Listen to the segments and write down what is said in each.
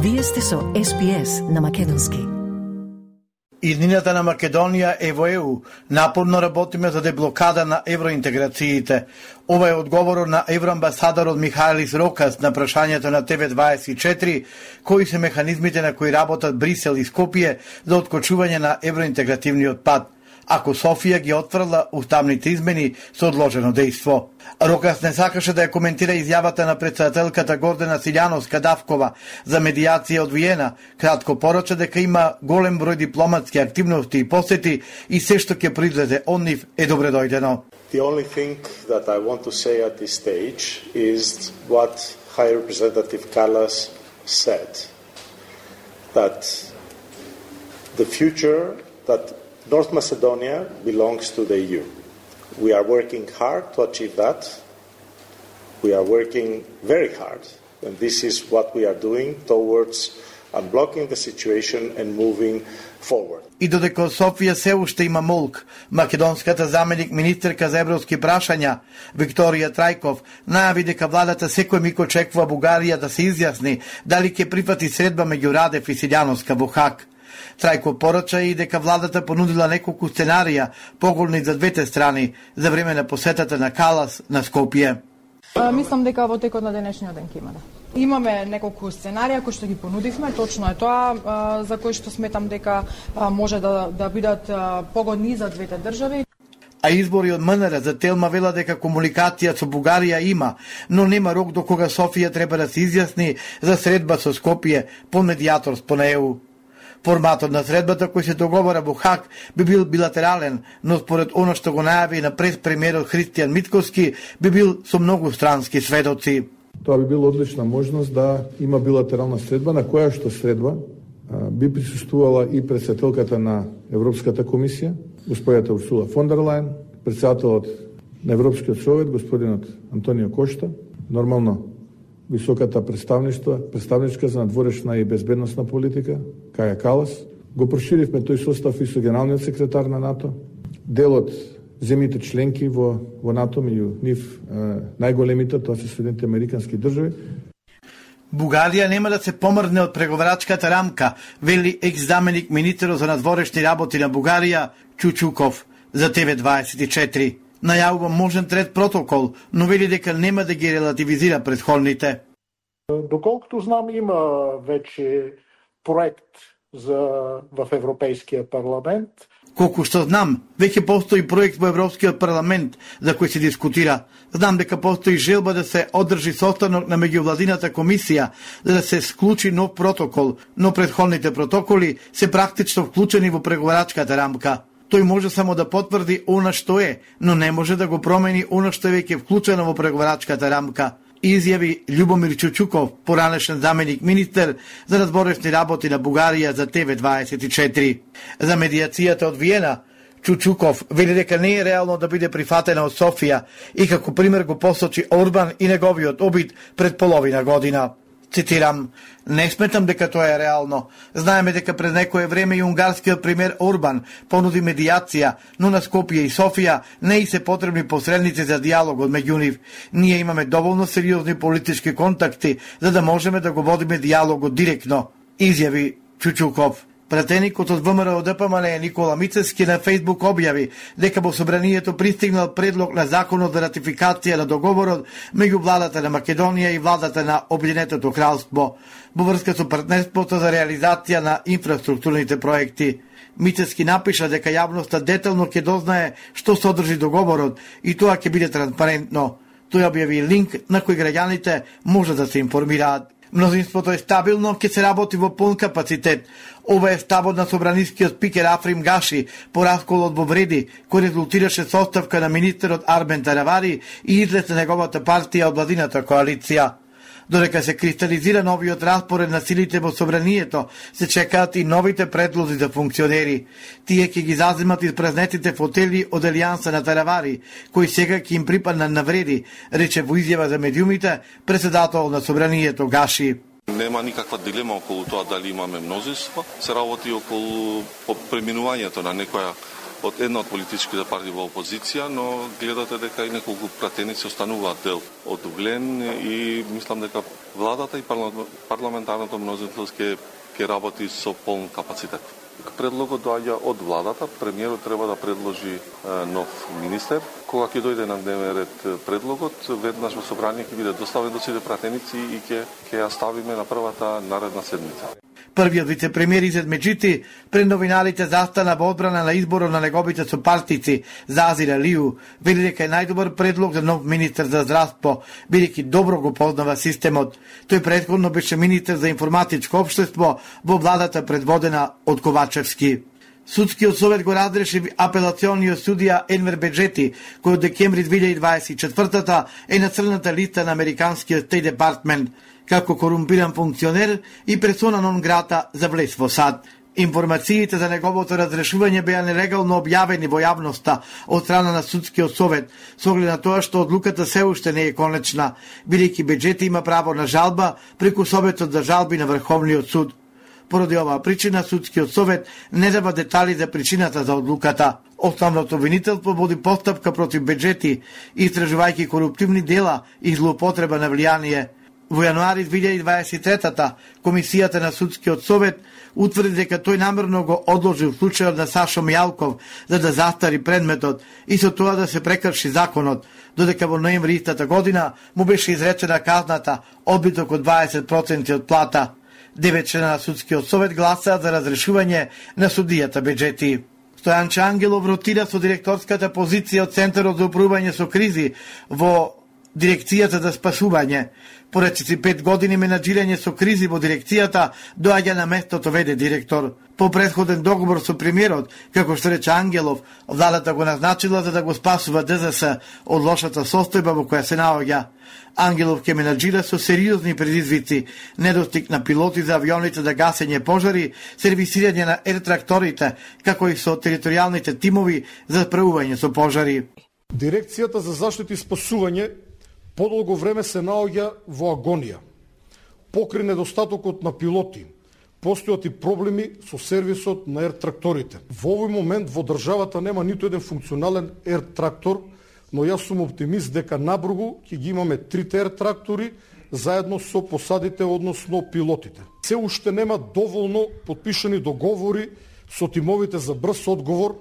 Вие сте со SPS на македонски. Иднината на Македонија е во ЕУ. Напорно работиме за деблокада на евроинтеграциите. Ова е одговорот на евроамбасадорот Михаелис Рокас на прашањето на TV24, кои се механизмите на кои работат Брисел и Скопје за откочување на евроинтегративниот пат, ако Софија ги отфрла уставните измени со одложено дејство. Рокас не сакаше да ја коментира изјавата на претседателката Гордана Силјановска-Давкова за медијација од Виена, кратко порача дека има голем број дипломатски активности и посети и се што ќе произлезе од нив е добредојдено. The only thing that I want to say at this stage is what High Representative Kallas said, that the future, that North Macedonia belongs to the EU. We are working hard to achieve that. We are working very hard, and this is what we are doing towards unblocking the situation and moving forward. И додека Софија се уште има молк, македонската заменик министерка за европски прашања Викторија Трајков најави дека владата секој миг очекува Бугарија да се изјасни дали ќе прифати средба меѓу Радев и Силјановска во Хаг. Трајко порача и дека владата понудила неколку сценарија поголни за двете страни за време на посетата на Калас на Скопје. Мислам дека во текот на денешниот ден ќе има. Имаме неколку сценарија кои што ги понудивме, точно е тоа за кои што сметам дека може да бидат погодни за двете држави. А избори од МНР за Телма вела дека комуникација со Бугарија има, но нема рок до кога Софија треба да се изјасни за средба со Скопје по медијатор спон ЕУ. Форматот на средбата кој се договора во Хаг би бил билатерален, но според оно што го најави на прес-премиерот Христијан Митковски би бил со многу странски сведоци. Тоа би била одлична можност да има билатерална средба, на која што средба би присуствувала и претседателката на Европската комисија, господјата Урсула фон дер Лајен, претседателот на Европскиот совет, господинот Антонио Кошта, нормално високата представничка за надворешна и безбедносна политика, Каја Калас. Го проширивме тој состав и со генералниот секретар на НАТО. Дел од земјите членки во НАТО, меѓу нив најголемите, тоа се Соединетите американски држави. Бугарија нема да се помрдне од преговарачката рамка, вели екс-заменик министерот за надворешни работи на Бугарија Чучуков за TV24. Најавува можен трет протокол, но вели дека нема да ги релативизира претходните. Доколкото знам, има веќе проект в Европейскиот парламент. Колку што знам, веќе постои проект во Европскиот парламент за кој се дискутира. Знам дека постои желба да се одржи состанок на меѓувладината комисија за да се склучи нов протокол, но претходните протоколи се практично вклучени во преговарачката рамка. Тој може само да потврди она што е, но не може да го промени она што е веќе вклучено во преговарачката рамка, изјави Љубомир Чучуков, поранешен заменик министер за надворешни работи на Бугарија за TV24. За медијацијата од Виена, Чучуков вели дека не е реално да биде прифатена од Софија и како пример го посочи Орбан и неговиот обид пред половина година. Цитирам: "Не сметам дека тоа е реално. Знаеме дека пред некое време и унгарскиот премиер Орбан понуди медијација, но на Скопје и Софија не и се потребни посредници за дијалогот меѓу нив. Ние имаме доволно сериозни политички контакти за да можеме да го водиме дијалогот директно", изјави Чучуков. Пратеникот од ВМРО ДПМН Никола Мицевски на Фејсбук објави дека во собранието пристигнал предлог на законот за ратификација на договорот меѓу владата на Македонија и владата на Обединетото кралство во врска со партнерството за реализација на инфраструктурните проекти. Мицевски напиша дека јавноста детално ќе дознае што содржи договорот и тоа ќе биде транспарентно. Тој објави линк на кој граѓаните може да се информираат. Мнозинството е стабилно, ќе се работи во пун капацитет. Ова е ставот на собранискиот спикер Африм Гаши по расколот во Вреди, кој резултираше со оставка на министерот Арбен Таравари и излез на неговата партија од владината коалиција. Додека се кристализира новиот распоред на силите во собранието, се чекаат и новите предлози за функционери. Тие ќе ги заземат испразнетите фотели од Елијанса на Таравари, кој сега ќе им припаднат на Вреди, рече во изјава за медиумите претседател на собранието Гаши. Нема никаква дилема околу тоа дали имаме мнозинство, се работи околу преминувањето на некоја од една од политичките партии во опозиција, но гледате дека и неколку пратеници остануваат дел од углен и мислам дека владата и парламентарното мнозинство ќе работи со полн капацитет. Предлогот доаѓа од владата, премиерот треба да предложи нов министер. Кога ќе дојде на дневен ред предлогот, веднаш во собрание ќе биде доставен до сите пратеници и ќе ја ставиме на првата наредна седмица. Првиот вице-премиер Изет Меджити пред новиналите застана во одбрана на изборот на неговите сопартици Азир Алију, вели дека е најдобар предлог за нов министер за здравство, бидејќи добро го познава системот. Тој претходно беше министер за информатичко општество во владата предводена од Ковачевски. Судскиот совет го разреши апелациониот судија Енвер Беджети, кој од декември 2024 е на црната листа на американскиот Стейт Департмент како корумпиран функционер и персона нон грата за влез во САД. Информациите за неговото разрешување беа нелегално објавени во јавноста од страна на судскиот совет, со оглед на тоа што одлуката се уште не е конечна, бидејќи Беджети има право на жалба преку Советот за жалби на Врховниот суд. Поради оваа причина, судскиот совет не дава детали за причината за одлуката. Основното обвинителство води постапка против Беджети, истражувајќи коруптивни дела и злоупотреба на влијание. Во јануари 2023 Комисијата на судскиот совет утврди дека тој намерно го одложил случајот на Сашо Мијалков за да застари предметот и со тоа да се прекрши законот, додека во ноември истата година му беше изречена казната одбиток од 20% од плата. 9 члена на судскиот совет гласаат за разрешување на судијата Беджети. Стојанче Ангелов ротира со директорската позиција од Центарот за управување со кризи во Дирекцијата за спасување. По 45 години менаџирање со кризи во дирекцијата доаѓа на местото веде директор. По претходен договор со премиерот, како што рече Ангелов, владата го назначила за да го спасува ДЗС од лошата состојба во која се наоѓа. Ангелов ќе менаџира со сериозни предизвици, недостиг на пилоти за авионите за гасење пожари, сервисирање на ертракторите, како и со територијалните тимови за справување со пожари. Дирекцијата за заштита и спасување подолго време се наоѓа во агонија. Покрај недостатокот на пилоти, постојат и проблеми со сервисот на ертракторите. Во овој момент во државата нема ниту еден функционален ертрактор, но јас сум оптимист дека набргу ќе ги имаме 3 ертрактори заедно со посадите, односно пилотите. Се уште нема доволно подпишани договори со тимовите за брз одговор,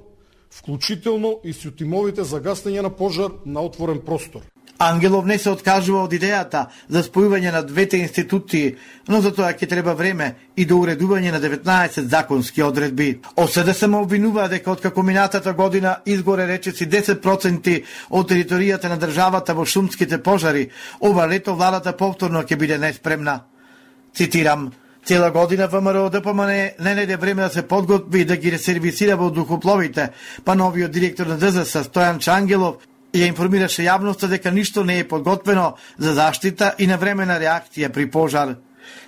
вклучително и со тимовите за гаснење на пожар на отворен простор. Ангелов не се откажува од идејата за спојување на двете институции, но за тоа ќе треба време и до уредување на 19 законски одредби. ОСД се обвинува дека откако минатата година изгоре речиси 10% од територијата на државата во шумските пожари, ова лето владата повторно ќе биде неспремна. Цитирам: цела година ВМРО ДПМН не најде време да се подготви и да ги ресервисира воздухопловите, па новиот директор на ДЗС Стојанче Ангелов ја информираше јавноста дека ништо не е подготвено за заштита и навремена реакција при пожар.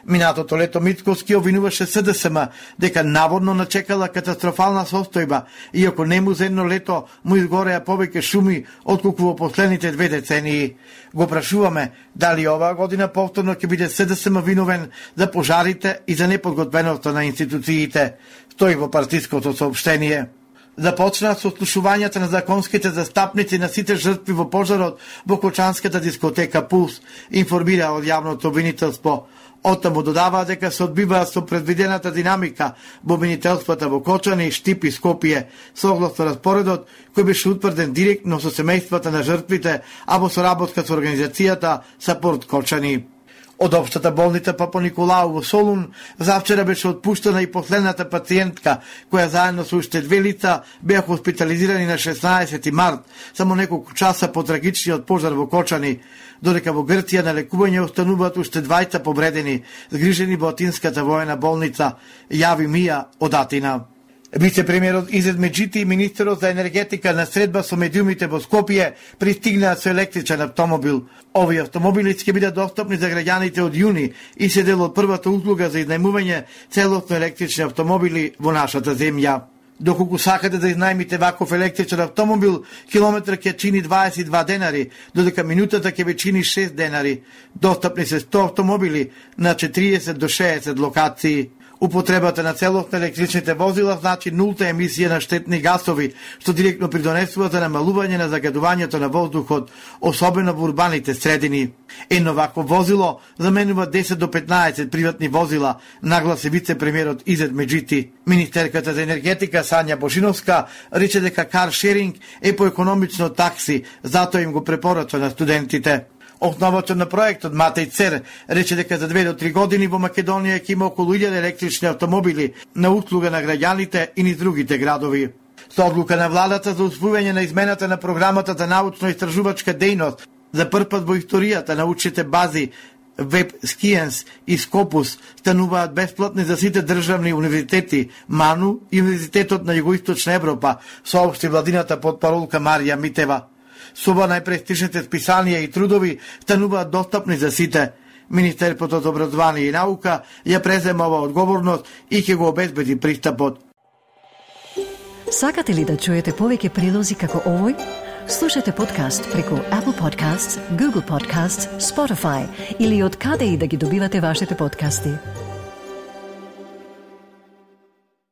Минатото лето Мицковски обвинуваше СДСМ дека наводно начекала катастрофална состојба, иако нему за едно лето му изгореа повеќе шуми отколку во последните 2 децении. Го прашуваме дали оваа година повторно ќе биде СДСМ виновен за пожарите и за неподготвеноста на институциите, стои во партиското соопштение. Започна со слушувањата на законските застапници на сите жртви во пожарот во Кочанската дискотека Пулс, информира од јавното обвинителство. Оттаму додава дека се одбиваа со предвидената динамика во обвинителствата во Кочани, Штип и Скопје, согласно распоредот кој беше утврден директно со семејствата на жртвите, а во соработка со организацијата Сапорт Кочани. Од општата болница Папа Николау во Солун завчера беше отпуштена и последната пациентка, која заедно со уште 2 лица беа хоспитализирани на 16 март, само неколку часа по трагичниот пожар во Кочани, додека во Грција на лекување остануваат уште 2 повредени, згрижени во Атинската воена болница, јави Мија од Атина. Вице-премиерот Изет Меджити и министерот за енергетика на средба со медиумите во Скопје пристигнаа со електричен автомобил. Овие автомобили ќе бидат достапни за граѓаните од јуни и се дел од првата услуга за изнајмување целосно електрични автомобили во нашата земја. Доколку сакате да изнајмите ваков електричен автомобил, километар ќе чини 22 денари, додека минутата ќе ве чини 6 денари. Достапни се 100 автомобили на 40 до 60 локации. Употребата на целост на електричните возила значи нулта емисија на штетни гасови, што директно придонесува за намалување на загадувањето на воздухот, особено во урбаните средини. Едно вакво возило заменува 10 до 15 приватни возила, нагласи вице-премиерот Изет Меджити. Министерката за енергетика Сања Бошиновска рече дека каршеринг е поекономично такси, затоа им го препорача на студентите. Основатор на проектот Матеј Цер рече дека за 2 до 3 години во Македонија ќе има околу 1000 електрични автомобили на услуга на граѓаните и низ другите градови. Со одлука на владата за усвојување на измената на програмата за научно-истражувачка дејност, за прв пат во историјата научните бази Web Science и Scopus стануваат бесплатни за сите државни универзитети, МАНУ и Универзитетот на Југоисточна Европа, соопшти владината потпаролка Марија Митева. Соба најпрестижните списанија и трудови стануваат достапни за сите. Министерството за образование и наука ја презема ова одговорност и ќе го обезбеди пристапот. Сакате ли да чуете повеќе прилози како овој? Слушате подкаст преку Apple Podcasts, Google Podcasts, Spotify или од каде и да ги добивате вашите подкасти.